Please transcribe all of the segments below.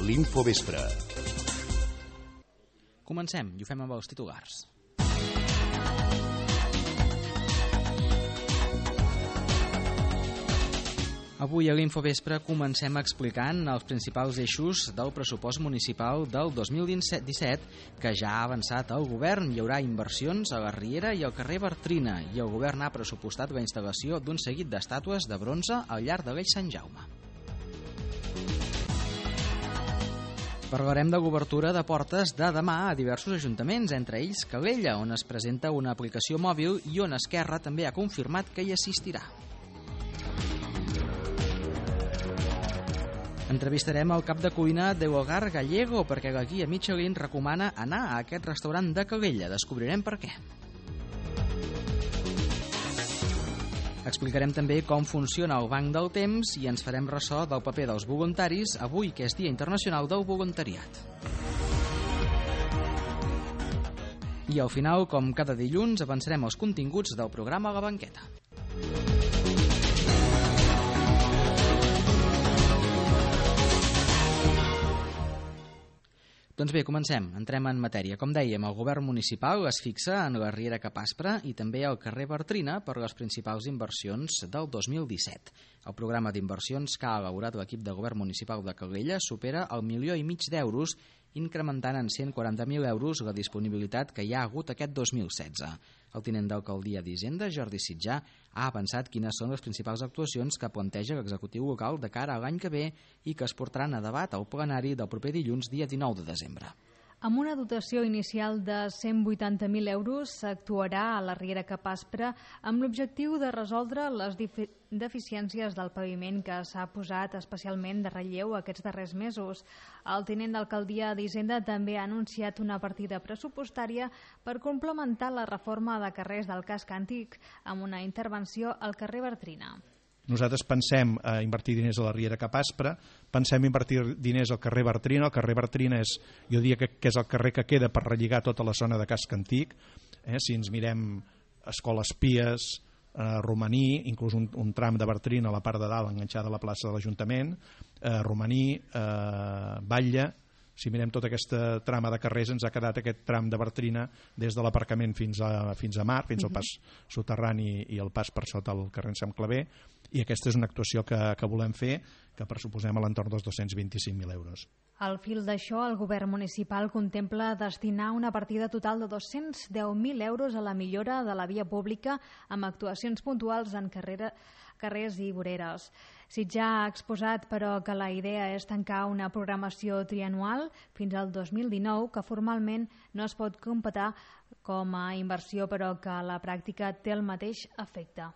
l'Infovespre. Comencem i ho fem amb els titulars. Avui a l'Infovespre comencem explicant els principals eixos del pressupost municipal del 2017 que ja ha avançat el govern. Hi haurà inversions a la Riera i al carrer Bartrina i el govern ha pressupostat la instal·lació d'un seguit d'estàtues de bronze al llarg de l'Eix Sant Jaume. Parlarem de l'obertura de portes de demà a diversos ajuntaments, entre ells Calella, on es presenta una aplicació mòbil i on Esquerra també ha confirmat que hi assistirà. Entrevistarem el cap de cuina de l'Hogar Gallego perquè la guia Michelin recomana anar a aquest restaurant de Calella. Descobrirem per què. Explicarem també com funciona el Banc del Temps i ens farem ressò del paper dels voluntaris avui, que és Dia Internacional del Voluntariat. I al final, com cada dilluns, avançarem els continguts del programa La Banqueta. Doncs bé, comencem. Entrem en matèria. Com dèiem, el govern municipal es fixa en la Riera Cap Aspre i també al carrer Bartrina per les principals inversions del 2017. El programa d'inversions que ha elaborat l'equip de govern municipal de Calella supera el 1,5 milió d'euros, incrementant en 140.000 euros la disponibilitat que hi ha hagut aquest 2016. El tinent d'alcaldia d'Hisenda, Jordi Sitjà, ha avançat quines són les principals actuacions que planteja l'executiu local de cara a l'any que ve i que es portaran a debat al plenari del proper dilluns, dia 19 de desembre. Amb una dotació inicial de 180.000 euros s'actuarà a la Riera Cap Aspre amb l'objectiu de resoldre les deficiències del paviment que s'ha posat especialment de relleu aquests darrers mesos. El tinent d'alcaldia d'Hisenda també ha anunciat una partida pressupostària per complementar la reforma de carrers del casc antic amb una intervenció al carrer Bartrina. Nosaltres pensem invertir diners a la Riera Cap Aspre, pensem invertir diners al carrer Bartrina. El carrer Bartrina és, jo diria que és el carrer que queda per relligar tota la zona de casc antic. Si ens mirem Escoles Pies, Romaní, inclús un tram de Bartrina a la part de dalt enganxada a la plaça de l'Ajuntament, Romaní, Batlle. Si mirem tota aquesta trama de carrers, ens ha quedat aquest tram de Bartrina des de l'aparcament fins a Mar, fins al pas soterrani i el pas per sota el carrer Sant Claver, i aquesta és una actuació que volem fer, que pressuposem a l'entorn dels 225.000 euros. Al fil d'això, el govern municipal contempla destinar una partida total de 210.000 euros a la millora de la via pública amb actuacions puntuals en carrers i voreres. Sitjà ha exposat, però, que la idea és tancar una programació trianual fins al 2019, que formalment no es pot computar com a inversió, però que a la pràctica té el mateix efecte.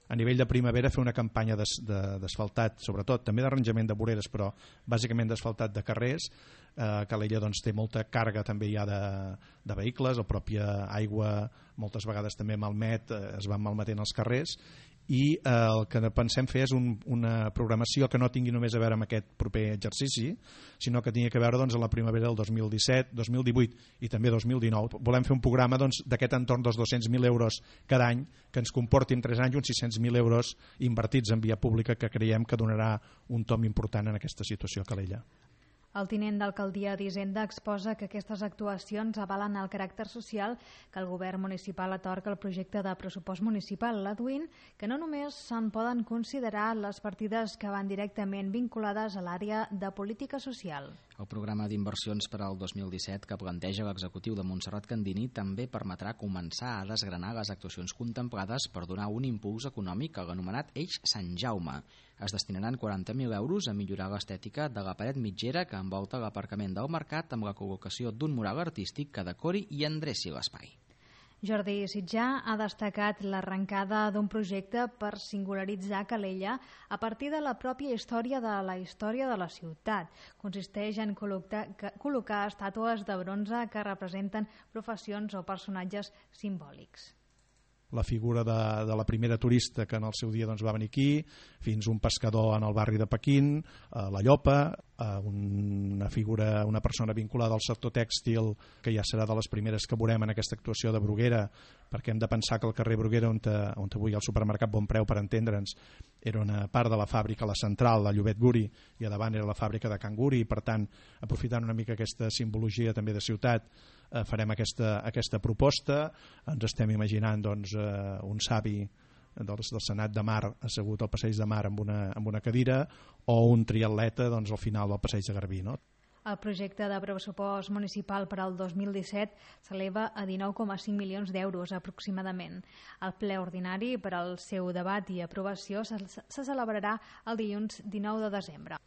A nivell de primavera fer una campanya d'asfaltat, sobretot, també d'arranjament de voreres, però bàsicament d'asfaltat de carrers. Calella doncs, té molta càrrega també ja de vehicles, la pròpia aigua moltes vegades també malmet, es van malmetent els carrers, i el que pensem fer és una programació que no tingui només a veure amb aquest proper exercici, sinó que tingui a veure doncs, a la primavera del 2017, 2018 i també 2019. Volem fer un programa d'aquest entorn dels 200.000 euros cada any, que ens comporti en 3 anys uns 600.000 euros invertits en via pública, que creiem que donarà un tom important en aquesta situació a Calella. El tinent d'alcaldia d'Hisenda exposa que aquestes actuacions avalen el caràcter social que el govern municipal atorga al projecte de pressupost municipal, adduint que no només se'n poden considerar les partides que van directament vinculades a l'àrea de política social. El programa d'inversions per al 2017 que planteja l'executiu de Montserrat Candini també permetrà començar a desgranar les actuacions contemplades per donar un impuls econòmic a l'anomenat Eix Sant Jaume. Es destinaran 40.000 euros a millorar l'estètica de la paret mitgera que envolta l'aparcament del mercat amb la col·locació d'un mural artístic que decori i endreci l'espai. Jordi Sitjà ha destacat l'arrencada d'un projecte per singularitzar Calella a partir de la pròpia història de la ciutat. Consisteix en col·locar estàtues de bronze que representen professions o personatges simbòlics. la figura de la primera turista que en el seu dia doncs, va venir aquí, fins un pescador en el barri de Pequín, la Llopa, una persona vinculada al sector tèxtil, que ja serà de les primeres que veurem en aquesta actuació de Bruguera, perquè hem de pensar que el carrer Bruguera, on avui hi ha el supermercat Bon Preu, per entendre'ns, era una part de la fàbrica, la central, la Llobet Guri, i a davant era la fàbrica de Can Guri, i per tant, aprofitant una mica aquesta simbologia també de ciutat, farem aquesta proposta. Ens estem imaginant doncs, un savi del Senat de Mar assegut al passeig de Mar amb una cadira, o un triatleta doncs, al final del passeig de Garbí, no? El projecte de pressupost municipal per al 2017 s'eleva a 19,5 milions d'euros aproximadament. El ple ordinari per al seu debat i aprovació se celebrarà el dilluns 19 de desembre.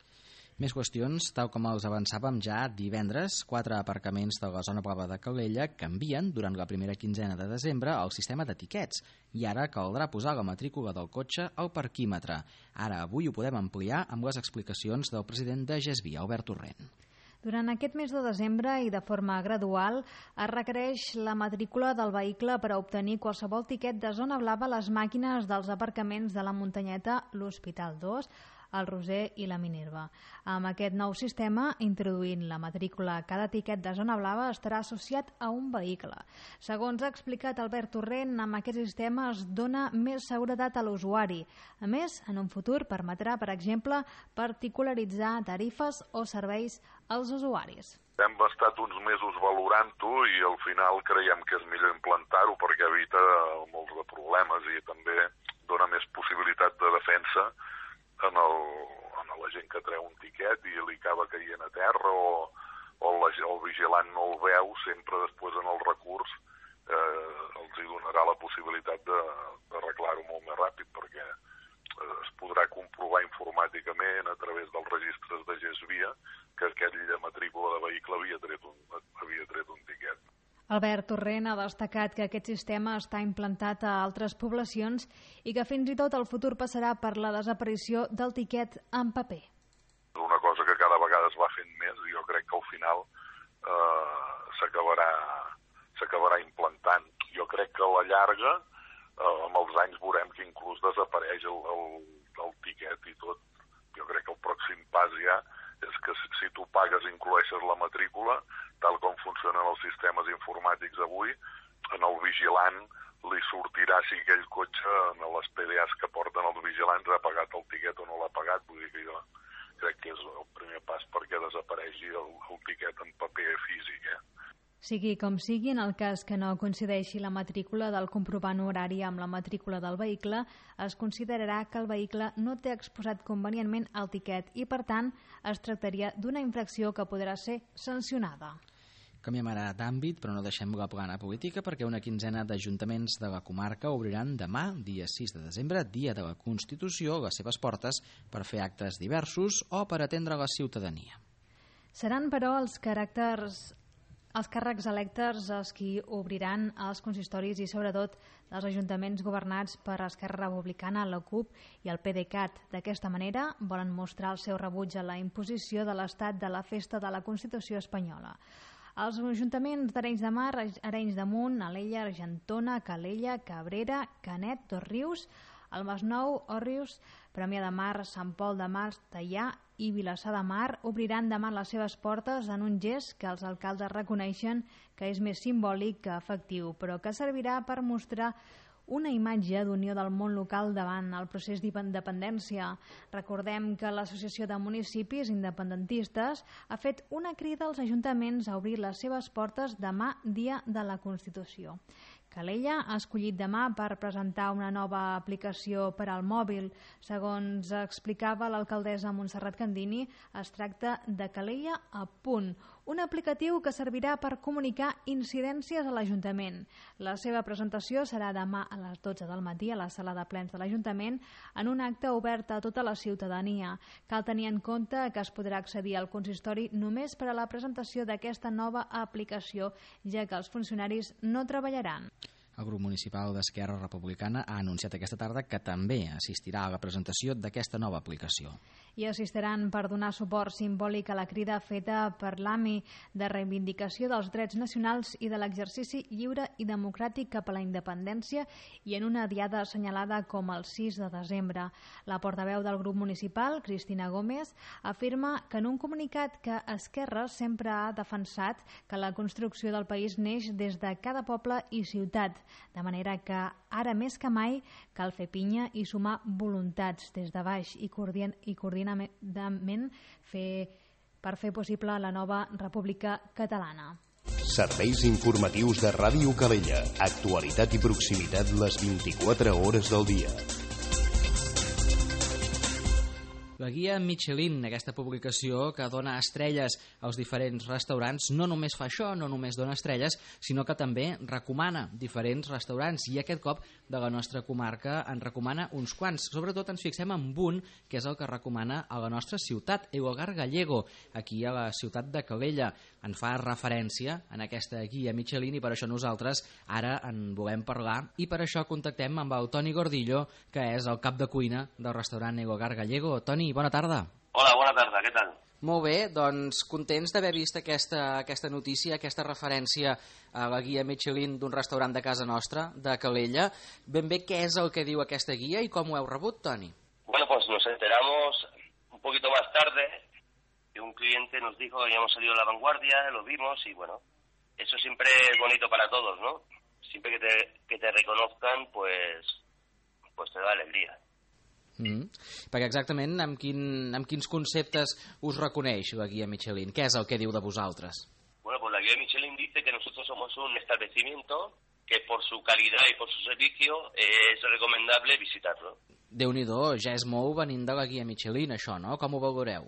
Més qüestions, tal com els avançàvem ja divendres, 4 aparcaments de la zona blava de Calella canvien durant la primera quinzena de desembre el sistema d'etiquets i ara caldrà posar la matrícula del cotxe al parquímetre. Ara, avui ho podem ampliar amb les explicacions del president de GESBI, Albert Torrent. Durant aquest mes de desembre i de forma gradual es requereix la matrícula del vehicle per a obtenir qualsevol tiquet de zona blava a les màquines dels aparcaments de la Muntanyeta, l'Hospital 2, el Roser i la Minerva. Amb aquest nou sistema, introduint la matrícula a cada tiquet de zona blava estarà associat a un vehicle. Segons ha explicat Albert Torrent, amb aquest sistema es dona més seguretat a l'usuari. A més, en un futur permetrà, per exemple, particularitzar tarifes o serveis als usuaris. Hem estat uns mesos valorant-ho i al final creiem que és millor implantar-ho perquè evita molts de problemes i també dona més possibilitat de defensa a la gent que treu un tiquet i li acaba caient a terra o el vigilant no el veu, sempre després en el recurs els hi donarà la possibilitat d'arreglar-ho molt més ràpid perquè es podrà comprovar informàticament a través dels registres de GESVIA que aquell de matrícula de vehicle havia tret un tiquet. Albert Torrent ha destacat que aquest sistema està implantat a altres poblacions i que fins i tot el futur passarà per la desaparició del tiquet en paper. És una cosa que cada vegada es va fent més i jo crec que al final s'acabarà implantant. Jo crec que a la llarga, amb els anys, veurem que inclús desapareix el tiquet i tot. Jo crec que el pròxim pas ja és que si tu pagues i incloeixes la matrícula, tal com funcionen els sistemes informàtics avui, en el vigilant li sortirà si aquell cotxe en les PDAs que porten els vigilants ha pagat el tiquet o no l'ha pagat. Vull dir que jo crec que és el primer pas perquè desapareixi el tiquet en paper físic. Sigui com sigui, en el cas que no coincideixi la matrícula del comprovant horari amb la matrícula del vehicle, es considerarà que el vehicle no té exposat convenientment el tiquet i, per tant, es tractaria d'una infracció que podrà ser sancionada. Canviem ara d'àmbit, però no deixem la plana política, perquè una quinzena d'ajuntaments de la comarca obriran demà, dia 6 de desembre, dia de la Constitució, les seves portes per fer actes diversos o per atendre la ciutadania. Seran, però, els càrrecs electes els qui obriran els consistoris i sobretot els ajuntaments governats per Esquerra Republicana, la CUP i el PDeCAT. D'aquesta manera volen mostrar el seu rebuig a la imposició de l'Estat de la Festa de la Constitució espanyola. Els ajuntaments d'Arenys de Mar, Arenys de Munt, Alella, Argentona, Calella, Cabrera, Canet, Dosrius, el Masnou, Òrrius, Premià de Mar, Sant Pol de Mar, Teià i Vilassar de Mar obriran demà les seves portes en un gest que els alcaldes reconeixen que és més simbòlic que efectiu, però que servirà per mostrar una imatge d'unió del món local davant el procés d'independència. Recordem que l'Associació de Municipis Independentistes ha fet una crida als ajuntaments a obrir les seves portes demà, dia de la Constitució. Calella ha escollit demà per presentar una nova aplicació per al mòbil. Segons explicava l'alcaldessa Montserrat Candini, es tracta de Calella a punt, un aplicatiu que servirà per comunicar incidències a l'Ajuntament. La seva presentació serà demà a les 12 del matí a la sala de plens de l'Ajuntament en un acte obert a tota la ciutadania. Cal tenir en compte que es podrà accedir al consistori només per a la presentació d'aquesta nova aplicació, ja que els funcionaris no treballaran. El grup municipal d'Esquerra Republicana ha anunciat aquesta tarda que també assistirà a la presentació d'aquesta nova aplicació. i assistiran per donar suport simbòlic a la crida feta per l'AMI de reivindicació dels drets nacionals i de l'exercici lliure i democràtic cap a la independència i en una diada assenyalada com el 6 de desembre. La portaveu del grup municipal, Cristina Gómez, afirma que en un comunicat que Esquerra sempre ha defensat que la construcció del país neix des de cada poble i ciutat, de manera que ara més que mai cal fer pinya i sumar voluntats des de baix i coordinadament per fer possible la nova República Catalana. Serveis informatius de Ràdio Calella. Actualitat i proximitat les 24 hores del dia. La guia Michelin, aquesta publicació que dona estrelles als diferents restaurants, no només fa això, no només dona estrelles, sinó que també recomana diferents restaurants, i aquest cop de la nostra comarca en recomana uns quants. Sobretot ens fixem en un, que és el que recomana a la nostra ciutat, El Hogar Gallego, aquí a la ciutat de Calella. En fa referència en aquesta guia Michelin i per això nosaltres ara en volem parlar, i per això contactem amb el Toni Gordillo, que és el cap de cuina del restaurant El Hogar Gallego. Toni, bona tarda. Hola, bona tarda, què tal? Molt bé, doncs contents d'haver vist aquesta notícia, aquesta referència a la guia Michelin d'un restaurant de casa nostra, de Calella. Ben bé, què és el que diu aquesta guia i com ho heu rebut, Toni? Bueno, pues nos enteramos un poquito más tarde que un cliente nos dijo que habíamos salido a La Vanguardia, lo vimos y bueno, eso siempre es bonito para todos, ¿no? Siempre que te reconozcan, pues te da alegría. Perquè exactament amb quins conceptes us reconeix la guia Michelin? Què és el que diu de vosaltres? Bueno, pues la guía Michelin dice que nosotros somos un establecimiento que por su calidad y por su servicio es recomendable visitarlo. Déu-n'hi-do, ja és molt venint de la guia Michelin, això, no? Com ho valoreu?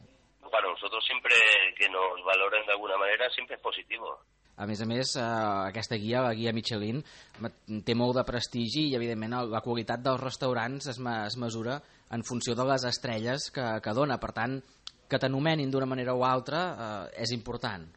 Para nosotros siempre que nos valoren de alguna manera siempre es positivo. A més, aquesta guia, la guia Michelin, té molt de prestigi i, evidentment, la qualitat dels restaurants es mesura en funció de les estrelles que dona. Per tant, que t'anomenin d'una manera o altra és important.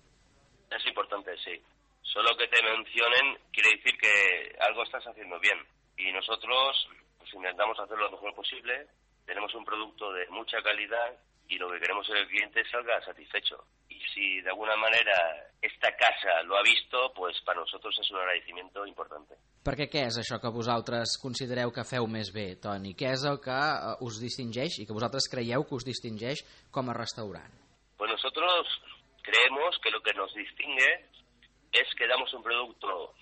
Es importante, sí. Solo que te mencionen quiere decir que algo estás haciendo bien. Y nosotros pues intentamos hacer lo mejor posible. Tenemos un producto de mucha calidad y lo que queremos es que el cliente salga satisfecho. Y si de alguna manera esta casa lo ha visto, pues para nosotros es un agradecimiento importante. Perquè què és això que vosaltres considereu que feu més bé, Toni? Què és el que us distingeix i que vosaltres creieu que us distingeix com a restaurant? Pues nosotros creemos que lo que nos distingue es que damos un producto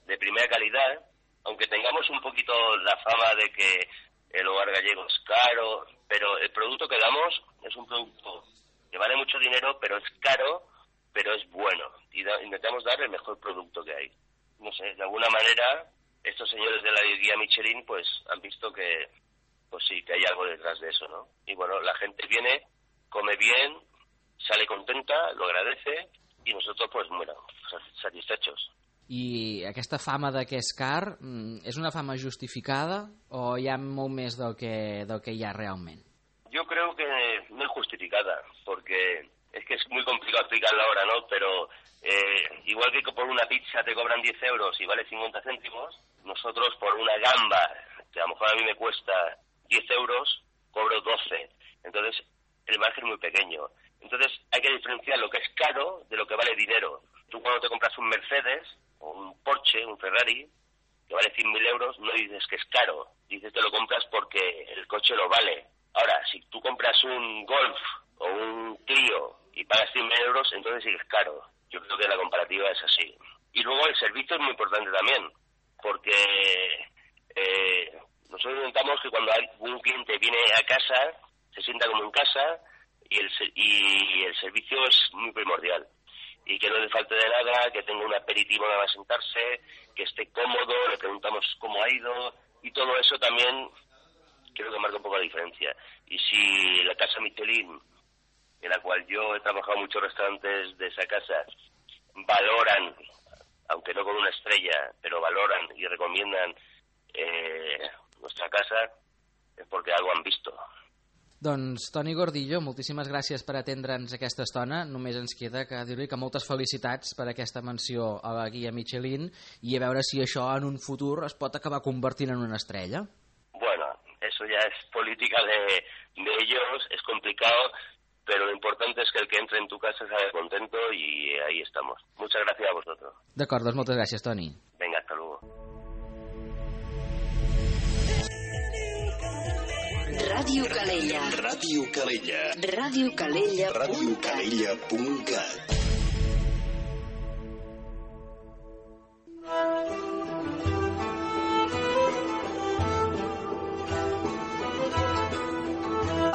de primera calidad, aunque tengamos un poquito la fama de que el Hogar Gallego es caro, pero el producto que damos es un producto que vale mucho dinero, pero es caro, pero es bueno. Y intentamos dar el mejor producto que hay. No sé, de alguna manera, estos señores de la guía Michelin pues han visto que pues sí, que hay algo detrás de eso, ¿no? Y bueno, la gente viene, come bien, sale contenta, lo agradece, y nosotros pues bueno, satisfechos. I aquesta fama de que és car, és una fama justificada o hi ha molt més del que hi ha realment? Yo creo que no es justificada, porque es que es muy complicado explicarlo ahora, ¿no? Pero igual que por una pizza te cobran 10 euros y vale 50 céntimos, nosotros por una gamba, que a lo mejor a mí me cuesta 10 euros, cobro 12. Entonces, el margen es muy pequeño. Entonces, hay que diferenciar lo que es caro de lo que vale dinero. Tú cuando te compras un Mercedes, o un Porsche, un Ferrari, que vale 100.000 euros, no dices que es caro. Dices que lo compras porque el coche lo vale. Ahora, si tú compras un Golf o un Clio y pagas 100.000 euros, entonces sí que es caro. Yo creo que la comparativa es así. Y luego el servicio es muy importante también, porque nosotros intentamos que cuando un cliente viene a casa, se sienta como en casa, y el servicio es muy primordial. Y que no le falte de nada, que tenga un aperitivo nada más sentarse, que esté cómodo, le preguntamos cómo ha ido, y todo eso también creo que marca un poco la diferencia. Y si la casa Michelin, en la cual yo he trabajado en muchos restaurantes de esa casa, valoran, aunque no con una estrella, pero valoran y recomiendan nuestra casa, és perquè algo han visto. Doncs, Toni Gordillo, moltíssimes gràcies per atendre'ns aquesta estona. Només ens queda que dir-li que moltes felicitats per aquesta menció a la guia Michelin i a veure si això en un futur es pot acabar convertint en una estrella. Bueno, eso eso ya es política de ellos, es complicado, pero lo importante es que el que entre en tu casa salga contento y ahí estamos. Muchas gracias a vosotros. D'acord, doncs moltes gràcies, Toni. Venga, hasta luego. Ràdio Calella. Ràdio Calella. Radiocalella.cat. Radiocalella.cat.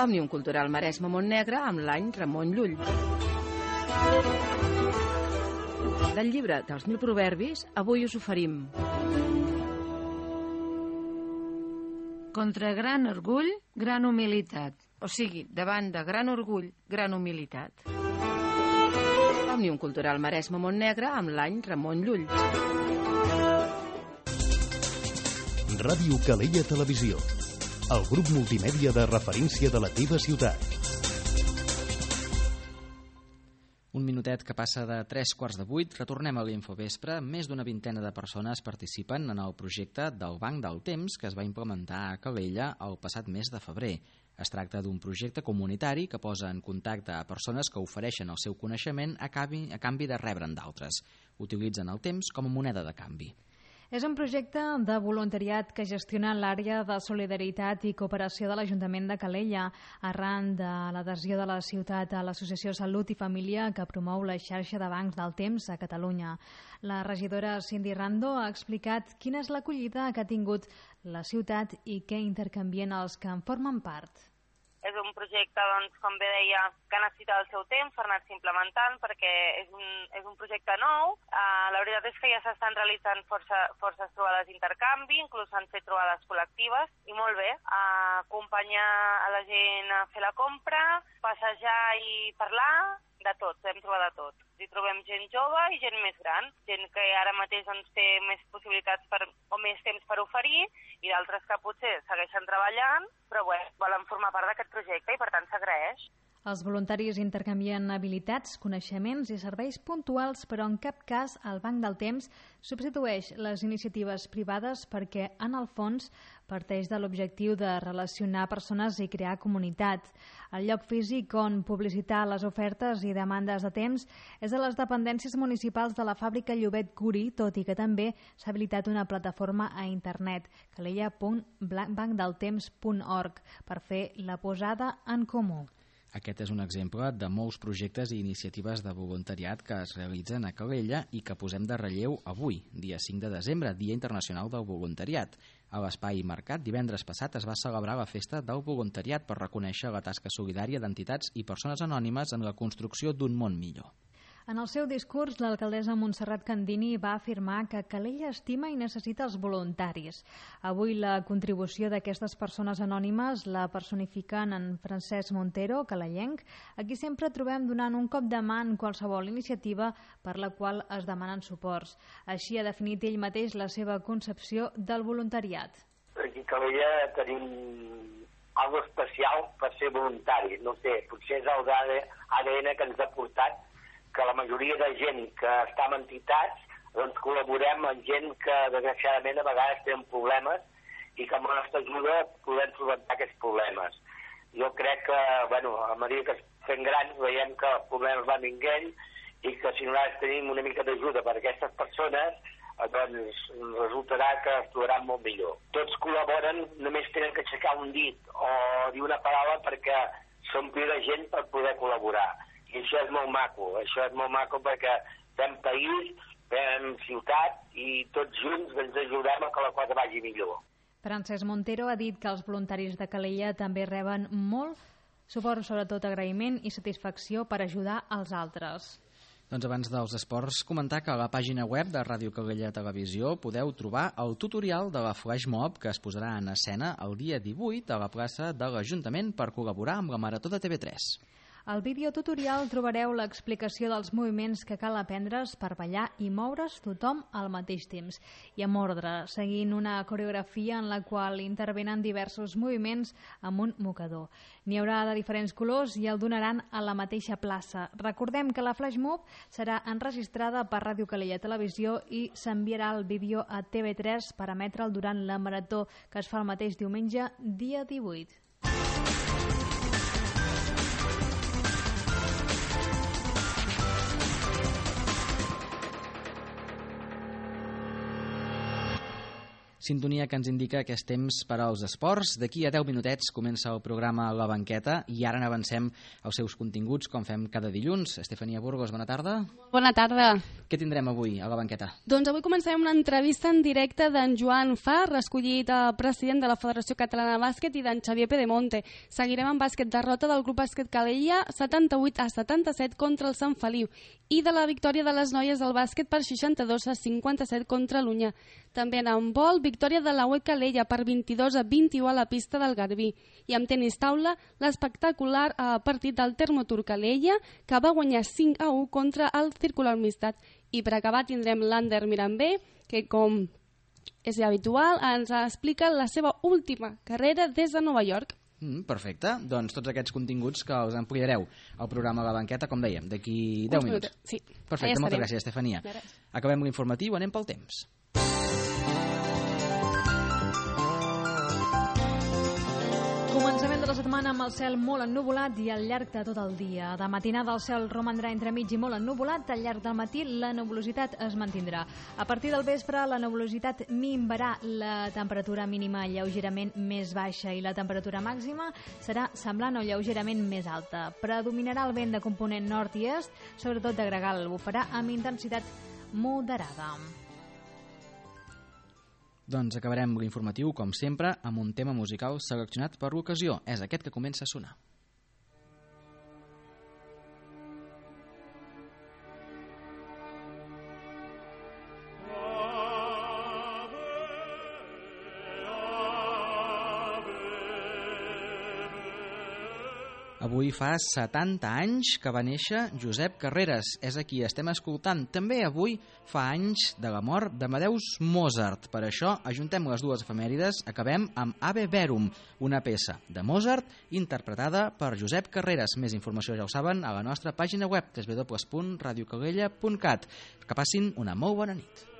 Òmnium Cultural Maresme Montnegre amb l'any Ramon Llull. Del llibre dels 1000 proverbis, avui us oferim contra gran orgull, gran humilitat. O sigui, davant de gran orgull, gran humilitat. Òmnium Cultural Maresme Montnegre amb l'any Ramon Llull. Ràdio Calella Televisió, el grup multimèdia de referència de la teva ciutat. Un minutet que passa de 7:45, retornem a l'Infovespre. Més d'una vintena de persones participen en el projecte del Banc del Temps que es va implementar a Calella el passat mes de febrer. Es tracta d'un projecte comunitari que posa en contacte a persones que ofereixen el seu coneixement a canvi de rebre'n d'altres. Utilitzen el temps com a moneda de canvi. És un projecte de voluntariat que gestiona l'àrea de solidaritat i cooperació de l'Ajuntament de Calella, arran de l'adhesió de la ciutat a l'Associació Salut i Família que promou la xarxa de bancs del temps a Catalunya. La regidora Cindy Rando ha explicat quina és l'acollida que ha tingut la ciutat i què intercanvien els que en formen part. És un projecte, doncs, com bé deia, que necessita el seu temps per anar-se implementant perquè és un projecte nou. La veritat és que ja s'estan realitzant forces trobades d'intercanvi, inclús s'han fet trobades col·lectives, i molt bé, acompanyar a la gent a fer la compra, passejar i parlar, de tot, podem trobar de tot. Hi trobem gent jove i gent més gran, gent que ara mateix doncs, té més possibilitats o més temps per oferir i d'altres que potser segueixen treballant, però volen formar part d'aquest projecte i per tant s'agraeix. Els voluntaris intercanvien habilitats, coneixements i serveis puntuals, però en cap cas el Banc del Temps substitueix les iniciatives privades perquè, en el fons, parteix de l'objectiu de relacionar persones i crear comunitat. El lloc físic on publicitar les ofertes i demandes de temps és a les dependències municipals de la fàbrica Llobet Curi, tot i que també s'ha habilitat una plataforma a internet, calella.bancdeltemps.org, per fer la posada en comú. Aquest és un exemple de molts projectes i iniciatives de voluntariat que es realitzen a Calella i que posem de relleu avui, dia 5 de desembre, Dia Internacional del Voluntariat. A l'Espai Mercat, divendres passat, es va celebrar la Festa del Voluntariat per reconèixer la tasca solidària d'entitats i persones anònimes en la construcció d'un món millor. En el seu discurs, l'alcaldessa Montserrat Candini va afirmar que Calella estima i necessita els voluntaris. Avui la contribució d'aquestes persones anònimes la personifiquen en Francesc Montero, calellenc, a qui sempre trobem donant un cop de mà en qualsevol iniciativa per la qual es demanen suports. Així ha definit ell mateix la seva concepció del voluntariat. Aquí a Calella tenim algo especial per ser voluntaris. No sé, potser és el ADN que ens ha portat que la majoria de gent que està en entitats doncs col·laborem amb gent que desgraciadament a vegades tenen problemes i que amb la nostra ajuda podem solventar aquests problemes. Jo crec que, a mesura que fem grans veiem que els problemes van vinguent i que si nosaltres tenim una mica d'ajuda per a aquestes persones doncs resultarà que es trobaran molt millor. Tots col·laboren, només tenen que aixecar un dit o dir una paraula perquè s'ompli de gent per poder col·laborar. I això és molt maco perquè fem país, fem ciutat i tots junts ens ajudem a que la cosa vagi millor. Francesc Montero ha dit que els voluntaris de Calella també reben molt suport, sobretot agraïment i satisfacció per ajudar els altres. Doncs abans dels esports, comentar que a la pàgina web de Ràdio Calella Televisió podeu trobar el tutorial de la Flash Mob que es posarà en escena el dia 18 a la plaça de l'Ajuntament per col·laborar amb la Marató de TV3. Al vídeo tutorial trobareu l'explicació dels moviments que cal aprendre's per ballar i moure's tothom al mateix temps i amb ordre, seguint una coreografia en la qual intervenen diversos moviments amb un mocador. N'hi haurà de diferents colors i el donaran a la mateixa plaça. Recordem que la Flash Mob serà enregistrada per Ràdio Calella Televisió i s'enviarà el vídeo a TV3 per emetre'l durant la marató que es fa el mateix diumenge, dia 18. Sintonia que ens indica que és temps per als esports. D'aquí a 10 minutets comença el programa La Banqueta i ara n'avancem als seus continguts com fem cada dilluns. Estefania Burgos, bona tarda. Bona tarda. Què tindrem avui a La Banqueta? Doncs avui començarem una entrevista en directe d'en Joan Far, escollit president de la Federació Catalana de Bàsquet, i d'en Xavier Pedemonte. Seguirem amb bàsquet, derrota del Club Bàsquet Calella 78-77 contra el Sant Feliu i de la victòria de les noies del bàsquet per 62-57 contra l'Unya. També en handbol, victòria de la UE Calella per 22-21 a la pista del Garbí. I amb tenis taula, l'espectacular partit del Termotur Calella, que va guanyar 5-1 contra el Circular Amistat. I per acabar tindrem l'Ander Mirambé, que com és habitual ens explica la seva última carrera des de Nova York. Perfecte, doncs tots aquests continguts que els ampliareu al programa La Banqueta, com dèiem, d'aquí 10 minuts. Sí. Perfecte, moltes gràcies, Estefania. Acabem l'informatiu, anem pel temps. Començament de la setmana amb el cel molt ennuvolat i al llarg de tot el dia. De matinada el cel romandrà entremig i molt ennuvolat, al llarg del matí la nebulositat es mantindrà. A partir del vespre la nebulositat minvarà, la temperatura mínima lleugerament més baixa i la temperatura màxima serà semblant o lleugerament més alta. Predominarà el vent de component nord i est, sobretot de gregal, bufarà amb intensitat moderada. Doncs acabarem l'informatiu, com sempre, amb un tema musical seleccionat per l'ocasió. És aquest que comença a sonar. Avui fa 70 anys que va néixer Josep Carreras, és a qui estem escoltant. També avui fa anys de la mort d'Amadeus Mozart. Per això ajuntem les dues efemèrides, acabem amb Ave Verum, una peça de Mozart interpretada per Josep Carreras. Més informació ja ho saben a la nostra pàgina web www.radiocalella.cat. Que passin una molt bona nit.